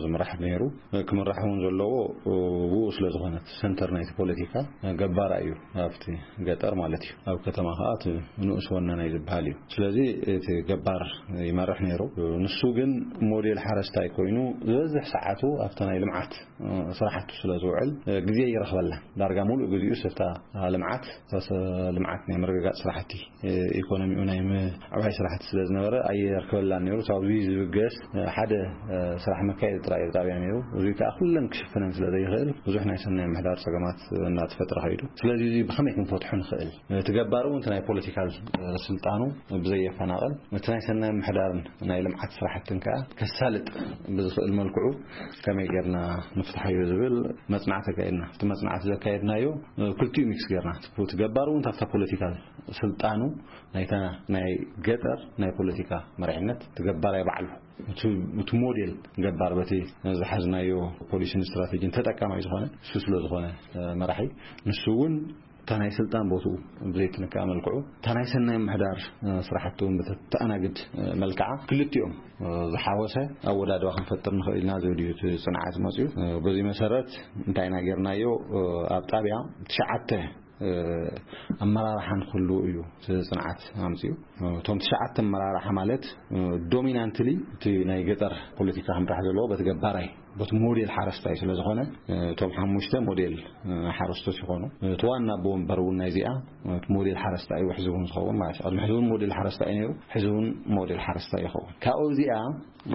ዝምራሕ ነይሩ። ክምራሕ እውን ዘለዎ፣ እ፣ ብኡ ስለ ዝኾነ፣ እቲ ሰንተር ናይቲ ፖለቲካ፣ እ፣ ገባር እዩ፣ ኣብቲ ገጠር ማለት እዩ። ኣብ ከተማ ከዓ እቲ ንኡስ ወናናይ ዝበሃል እዩ። ስለዚ እቲ ገባር ይመርሕ ነይሩ። ንሱ ግን ሞዴል ሓረስታይ ኮይኑ ዝበዝሕ ሰዓቱ ኣብቲ ናይ ልምዓት፣ እ፣ ስራሕቱ ስለ ዝውዕል፣ እ፣ ግዜ ይረኽበላ። ዳርጋ ሙሉእ ግዜኡ ስፍታ ልምዓት፣ ስ-፣ ልምዓት ናይ ምርግጋፅ ስራሕቲ፣ እ፣ ኢኮኖሚኡ ናይ ምዕባይ ስራሕቲ ስለ ዝነበረ ኣየርክበላን ነይሩ። ካብዚ ዝብገስ፣ እ፣ ሓደ፣ እ፣ ስራሕ መካየዲ ጥራይ እዩ ጣብያ ነይሩ። እዚ ከዓ ኩለን ክሽፍነን ስለ ዘይኽእል ብዙሕ ናይ ሰናይ ምሕዳር ፀገማት እናተፈጥረ ኸይዱ። ስለዚ እዚ ብኸመይ ክንፈትሖ ንኽእል? እቲ ገባር እውን እቲ ናይ ፖለቲካል፣ እ፣ ስልጣኑ ብዘየፈናቐል፣ እቲ ናይ ሰናይ ምሕዳርን ናይ ልምዓት ስራሕትን ከዓ ከሳልጥ ብዝኽእል መልክዑ ከመይ ጌርና ንፍትሓዮ ዝብል መጽናዕቲ ኣካየድና። እቲ መጽናዕቲ ዘካየድናዮ፣ እ፣ ክልቲኡ ሚክስ ጌርና፣ እቲ ገባር እውን ካብታ ፖለቲካል ስልጣኑ ናይታ ናይ ገጠር ናይ ፖለቲካ መሪሕነት፣ እቲ ገባራይ ባዕሉ፣ እቲ፣ እቲ ሞዴል ገባር በቲ ዝሓዝናዮ ፖሊሲን ስትራቴጂን ተጠቃማይ ዝኾነ እሱ ስለ ዝኾነ፣ እ፣ መራሒ፣ ንሱ እውን እታ ናይ ስልጣን ቦትኡ ብዘይትንካእ መልክዑ፣ እታ ናይ ሰናይ ምሕዳር፣ እ፣ ስራሕቲ እውን ብተኣናግድ፣ እ፣ መልክዓ ክልቲኦም፣ እ፣ ዝሓወሰ ኣወዳድባ ክንፈጥር ንኽእል ኢና ዝብል እዩ እቲ ጽንዓት መጽዩ። እ፣ በዚ መሰረት እንታይ ኢና ጌርናዮ? እ፣ ኣብ ጣብያ ትሽዓተ፣ እ፣ ኣመራርሓ ንክህልዉ እዩ እቲ ጽንዓት ኣምጽዩ። እ፣ እቶም ትሽዓተ ኣመራርሓ ማለት፣ እ፣ ዶሚናንትሊ እቲ ናይ ገጠር ፖለቲካ ክምራሕ ዘለዎ በቲ ገባራይ፣ በቲ ሞዴል ሓረስታይ ስለ ዝኾነ፣ እ፣ እቶም ሓሙሽተ ሞዴል፣ እ፣ ሓረስቶት ይኾኑ። እቲ ዋና ኣቦ ወንበር እውን ናይዚኣ፣ እ፣ እቲ ሞዴል ሓረስታይ እዩ፣ ሕዚ እውን ዝኸውን ማለት እዩ። ቅድሚ ሕዚ እውን ሞዴል ሓረስታይ እዩ ነይሩ፣ ሕዚ እውን ሞዴል ሓረስታይ ይኸውን። ካብኡ እዚኣ፣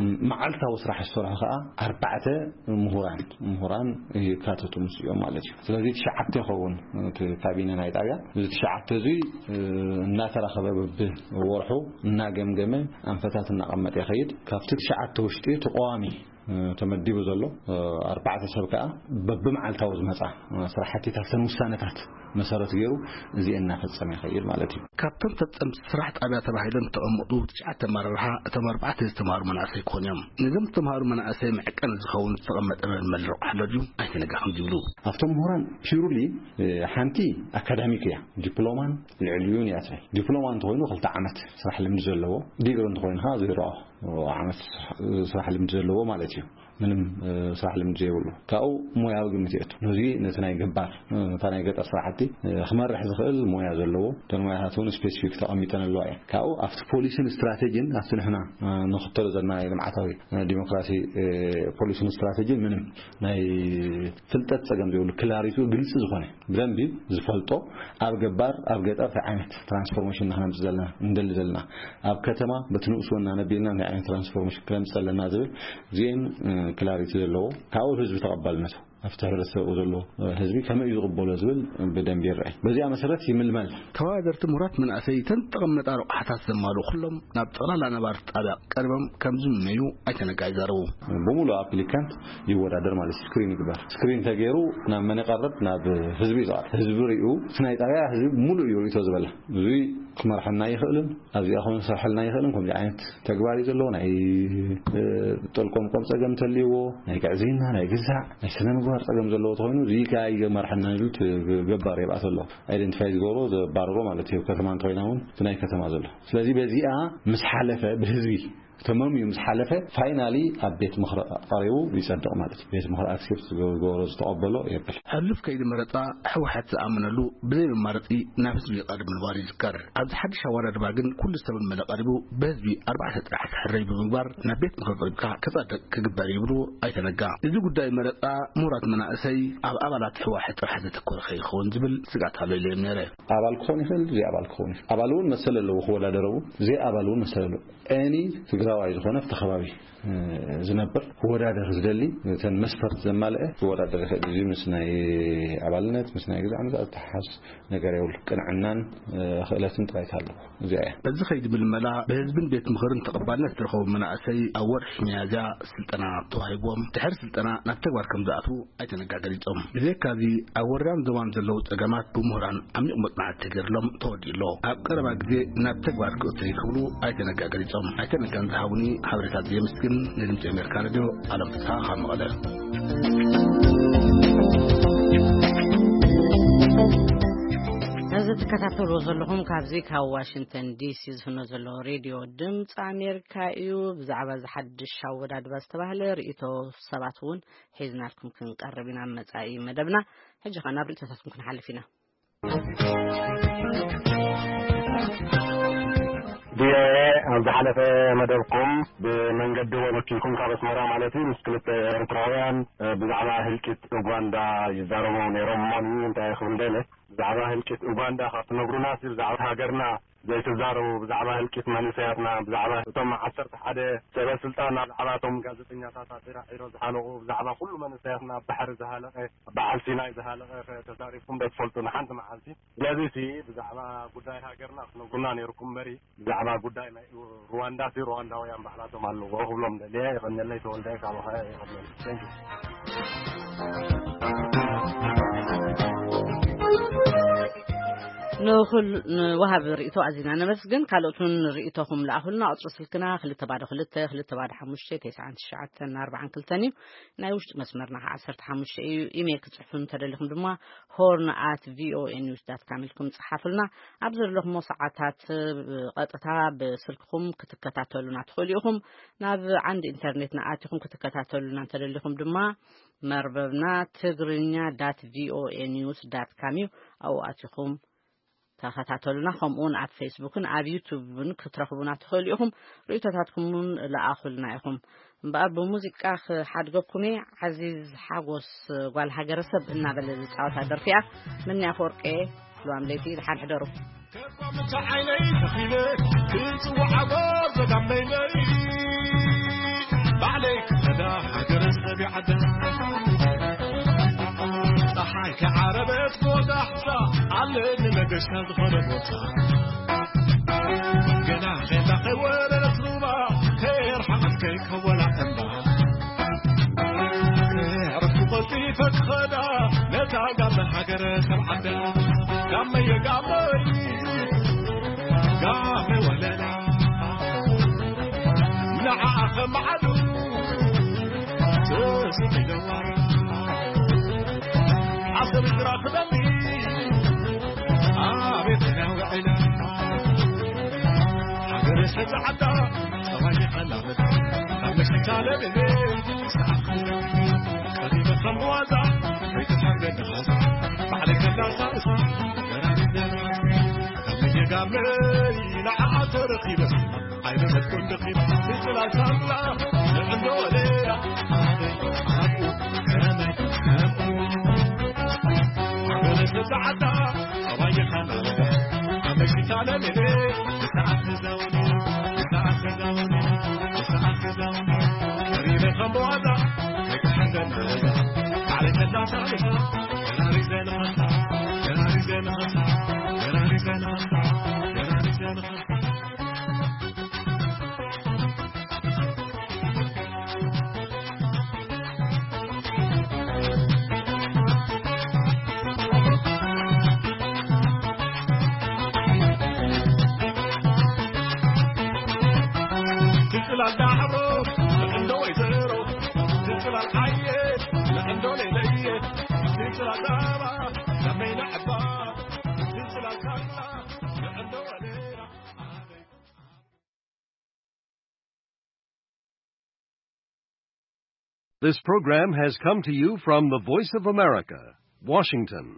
ም-፣ መዓልታዊ ስራሕ ዝሰርሑ ከዓ ኣርባዕተ ምሁራን፣ ምሁራን ይካተቱ ምስኦም ማለት እዩ። ስለዚ ትሽዓተ ይኸውን እቲ ካቢነ ናይ ጣብያ። እዚ ትሽዓተ እዚ፣ እ፣ እናተራኸበ በብወርሑ እናገምገመ ኣንፈታት እናቐመጠ ይኸይድ። ካብቲ ትሽዓተ ውሽጢ እቲ ቀዋሚ፣ እ፣ ተመዲቡ ዘሎ፣ እ፣ ኣርባዕተ ሰብ ከዓ በብመዓልታዊ ዝመፃ፣ እ፣ ስራሕቲታት፣ እተን ውሳነታት መሰረት ገይሩ እዚአን እናፈፀመ ይኸይድ ማለት እዩ። ካብቶም ፈፀምቲ ስራሕ ጣብያ ተባሂሎም ዝተቐመጡ ትሽዓተ ኣመራርሓ፣ እቶም ኣርባዕተ ዝተምሃሩ መናእሰይ ክኾኑ እዮም። ነዞም ዝተምሃሩ መናእሰይ መዕቀኒ ዝኸውን ዝተቐመጠ መልመል ረቑ ኣሎ ድዩ? ኣይተነጋኽን ዝብሉ። ኣብቶም ምሁራን ፒውርሊ፣ እ፣ ሓንቲ ኣካዳሚክ እያ። ዲፕሎማን ልዕሊኡን እያ ትብል። ዲፕሎማ እንተኾይኑ ክልተ ዓመት ስራሕ ልምዲ ዘለዎ፣ ዲግሪ እንተኾይኑ ከዓ ዜሮ ዓመት ስራሕ ልምዲ ዘለዎ ማለት እዩ። ምንም፣ እ፣ ስራሕ ልምዲ ዘይብሉ። ካብኡ ሞያዊ ግምት የእቱ። ነዚ ነቲ ናይ ገባር፣ እ፣ ነታ ናይ ገጠር ስራሕቲ፣ እ፣ ክመርሕ ዝኽእል ሞያ ዘለዎ፣ እተን ሞያታት እውን ስፔሲፊክ ተቐሚጠን ኣለዋ እየን። ካብኡ ኣብቲ ፖሊሲን ስትራቴጂን፣ ኣብቲ ንሕና፣ እ፣ ንኽተሎ ዘለና ናይ ልምዓታዊ፣ እ፣ ዲሞክራሲ፣ እ፣ ፖሊሲን ስትራቴጂን ምንም ናይ ፍልጠት ጸገም ዘይብሉ፣ ክላሪቲኡ ግልጺ ዝኾነ፣ ብደንቢ ዝፈልጦ፣ ኣብ ገባር፣ ኣብ ገጠር እንታይ ዓይነት ትራንስፎርሜሽን ኢና ክነምጽእ ዘለና፣ እንደሊ ዘለና፣ ኣብ ከተማ በቲ ንኡስ ወናነ ኣቢልና እንታይ ዓይነት ትራንስፎርሜሽን ክነምጽእ ኣለና ዝብል፣ እዚኤን፣ እ፣ ክላሪቲ ዘለዎ፣ ካብኡ ህዝቢ ተቐባልነቱ፣ ኣብቲ ሕብረተሰብ ዘሎ ህዝቢ ከመይ እዩ ዝቕበሎ ዝብል ብደንቢ ይረኣይ። በዚኣ መሰረት ይምልመል። ተወዳደርቲ ምሁራት መናእሰይ እተን ዝተቐመጣ ረቑሓታት ዘማልኡ ኩሎም ናብ ጠቕላላ ነባርቲ ጣብያ ቀሪቦም ከም ዝምነዩ ኣይተ ነጋ ይዛረቡ። ብምሉእ ኣፕሊካንት ይወዳደር ማለት እዩ። ስክሪን ይግበር። ስክሪን ተገይሩ ናብ መን ይቐርብ? ናብ ህዝቢ እዩ ዝቐርብ። ህዝቢ ሪኡ፣ እቲ ናይ ጣብያ ህዝቢ ሙሉእ እዩ ሪኢቶ ዝበላ። እዙይ ክመርሐና ይኽእልን ኣብዚኣ ኾነ ክሰርሐልና ይኽእልን ከምዚ ዓይነት ተግባር እዩ ዘለዎ። ናይ፣ እ፣ ጠልቆምቆም ጸገም እንተልይዎ፣ ናይ ግዕዝይና፣ ናይ ግዛዕ፣ ናይ ስነ ምግባር ጸገም ዘለዎ ተኾይኑ፣ እዚ ከኣ ይመርሐና ዝብል ት-፣ ገባር የብኣት ኣሎ። ኣይደንቲፋይ ዝገብሮ፣ ዘባርሮ ማለት እዩ። ከተማ እንተኾይና እውን እቲ ናይ ከተማ ዘሎ። ስለዚ በዚኣ ምስ ሓለፈ፣ ብህዝቢ ተመምዩ ምስ ሓለፈ፣ ፋይናሊ ኣብ ቤት ምኽሪ ቀሪቡ ይጸድቕ ማለት እዩ። ቤት ምኽሪ ኣክሴፕት ዝገበሮ፣ ዝተቐበሎ የብል። ሕሉፍ ከይዲ መረጻ ህወሓት ዝኣመነሉ ብዘይ መማረጺ ናብ ህዝቢ ይቐርብ ምንባሩ ይዝከር። ኣብዚ ሓድሽ ኣወዳድባ ግን ኩሉ ዝተመልመለ ቀሪቡ ብህዝቢ ኣርባዕተ ጥራሕ ክሕረይ ብምግባር ናብ ቤት ምኽሪ ቀሪብካ ክጸድቕ ክግበር ይብሉ ኣይተ ነጋ። እዚ ጉዳይ መረጻ ምሁራት መናእሰይ ኣብ ኣባላት ህወሓት ጥራሕ ዘተኮረ ከይኸውን ዝብል ስግኣት ኣሎ ኢለ እየ ነይረ። ኣባል ክኸውን ይኽእል፣ ዘይ ኣባል ክኸውን ይኽእል። ኣባል እውን መሰል ኣለዎ ክወዳደር እውን፣ ዘይ ኣባል እውን መሰል ኣለዎ። ኤኒ ትግራዋይ ዝኾነ ኣብቲ ከባቢ፣ እ፣ ዝነብር ክወዳደር ዝደሊ፣ እተን መስፈርት ዘማልአ ክወዳደር ይኽእል። እዚ ምስ ናይ ኣባልነት፣ ምስ ናይ ግዛዕ ምዛዕ ዝተሓሓዝ ነገር የብሉ። ቅንዕናን፣ እ፣ ክእለትን ጥራይ ኣለዎ። እዚኣ እያ። በዚ ከይዲ ምልመላ ብህዝብን ቤት ምኽርን ተቐባልነት ዝረኸቡ መናእሰይ ኣብ ወርሒ ሚያዝያ ስልጠና ተዋሂብዎም፣ ድሕሪ ስልጠና ናብ ተግባር ከም ዝኣትዉ ኣይተ ነጋ ገሊጾም። ብዘይካዚ ኣብ ወረዳን ዞባን ዘለዉ ጸገማት ብምሁራን ዓሚቕ መጽናዕቲ ተገይርሎም ተወዲኡ ኣሎ። ኣብ ቀረባ ግዜ ናብ ተግባር ክእቶ እዩ ክብሉ ኣይተ ነጋ ገሊጾም። ኣይተ ነጋን ዝሃቡኒ ሓበሬታት የመስግን። ንድምጺ ኣሜሪካ ሬድዮ ኣለም ፍስሓ ካብ መቐለ። ነዚ ትከታተልዎ ዘለኹም ካብዚ ካብ ዋሽንግተን ዲሲ ዝፍኖ ዘሎ ሬድዮ ድምፂ ኣሜሪካ እዩ። ብዛዕባ እዚ ሓድሽ ኣወዳድባ ዝተባህለ ርእይቶ ሰባት እውን ሒዝናልኩም ክንቀርብ ኢና ኣብ መጻኢ መደብና። ሕጂ ኸኣ ናብ ርእይቶታትኩም ክንሓልፍ ኢና። ቪኦኤ ኣብ ዝሓለፈ መደብኩም ብመንገዲ ወለኪልኩም ካብ ኣስመራ ማለት እዩ ምስ ክልተ ኤርትራውያን፣ እ፣ ብዛዕባ ህልቂት ኡጋንዳ ይዛረቡ ነይሮም። እሞ ንዩ እንታይ ክብል ደለ ብዛዕባ ህልቂት ኡጋንዳ ካብ ትነግሩና ሲ ብዛዕባ ሃገርና ዘይትዛረቡ፣ ብዛዕባ ህልቂት መንእሰያትና፣ ብዛዕባ እቶም ዓሰርተ ሓደ ሰበ ስልጣን፣ ብዛዕባ እቶም ጋዜጠኛታት ኣብ ዒራዒሮ ዝሃለቑ፣ ብዛዕባ ኩሉ መንእሰያትና ኣብ ባሕሪ ዝሃለቐ፣ በዓል ሲናይ ዝሃለቐ ተዛሪብኩም ዶ ትፈልጡ ንሓንቲ መዓልቲ? ስለዚ ሲ ብዛዕባ ጉዳይ ሃገርና ክትነግሩና ነይርኩም እምበሪ፣ ብዛዕባ ጉዳይ ናይ ሩዋንዳ ሲ ሩዋንዳውያን ባዕላቶም ኣለዎ ክብሎም ደልየ። የቐንየለይ ተወልደ ካብ ኦሃዮ። የቐንየለይ። Thank you። ንኹል-፣ ንወሃቢ ርእይቶ ኣዚና ነመስግን። ካልኦት እውን ርእይቶኹም ለኣኹልና። ቁጽሪ ስልክና ክልተ ባዶ ክልተ፣ ክልተ ባዶ ሓሙሽተ፣ ተስዓን ትሽዓተን ኣርባዓን ክልተን እዩ። ናይ ውሽጢ መስመርና ከዓ ዓሰርተ ሓሙሽተ እዩ። ኢሜይል ክትጽሕፉ እንተደሊኹም ድማ ሆርን ኣት ቪኦኤ ኒውስ ዳት ካም ኢልኩም ጽሓፉልና። ኣብ ዘለኹሞ ሰዓታት ብቐጥታ ብስልክኹም ክትከታተሉና ትኽእሉ ኢኹም። ናብ ዓንዲ ኢንተርኔትና ኣቲኹም ክትከታተሉና እንተደሊኹም ድማ መርበብና ትግርኛ ዳት ቪኦኤ ኒውስ ዳት ካም እዩ። ኣብኡ ኣቲኹም ተኸታተሉና። ከምኡ እውን ኣብ ፌስቡክን ኣብ ዩቱብን ክትረኽቡና ትኽእሉ ኢኹም። ርእይቶታትኩም እውን ለኣኹልና ኢኹም። እምበኣር ብሙዚቃ ክሓድገኩም እየ። ዓዚዝ ሓጎስ ጓል ሃገረሰብ እናበለ ዝጻወታ ደርፊ እያ። ምንያ ኣፈወርቂ፣ ልዋም ለይቲ፣ ደሓን ሕደሩ። ከርባምቲ ዓይነይ ተኺለ ክጽውዓጎ ዘጋመይነይ ባዕለይ ክኸዳ ሃገረ ሰብ ይዓዳ። ፀሓይ ከዓረበት ክወጣ ሕሳ ኣለኒ መገሻ ዝኾነ ቦታ። ገና ኼላ ከይወረደት ሩባ ከየርሓቐት ከይከወላ እምባ። ክዕርፉ ቀልጢፈ ክኸዳ ነታ ጋመ ሃገረ ሰብ ዓዳ። ጋመየ ጋመይ ጋመ ወለላ ንዓኣ ከመዓዱ ተስኢለዋ። ዓሰብ ዝራኽበኒ ኣቤት ናውዕላ ሃገረ ሰብ ዓዳ ጸባይ ይኸላበት ካብ መሽታ ለብቤ ሰዓት ቀሪበ ከም ብዋዛ ከይትሓርገኒ ኻዛ ባዕለይ ከላሳእስ ገራሚ ዘና ካብ መየጋመይ ንዓኣ ተረኺበ ኣይመሰጥኩን ደኺም ንጽላል ሳምላ ንዕንዶ ሌላ ኣበይ ኣብኡ ከመይ ከምኡ ሃገረ ሰብ ዓዳ ጸባይ ይኸላበት ካብ መሽታ ለብቤ ሰዓት ተዛወ ትጽላል ዳዕሮ ንዕንዶ ወይዘሮ፣ ትጽላል ዓየ ንዕንዶ ሌለየ፣ ትጽላል ዳባ ከመይ ንዕባ፣ ትጽላል ካላ ንዕንዶ ወሌራ። This program has come to you from the Voice of America, Washington.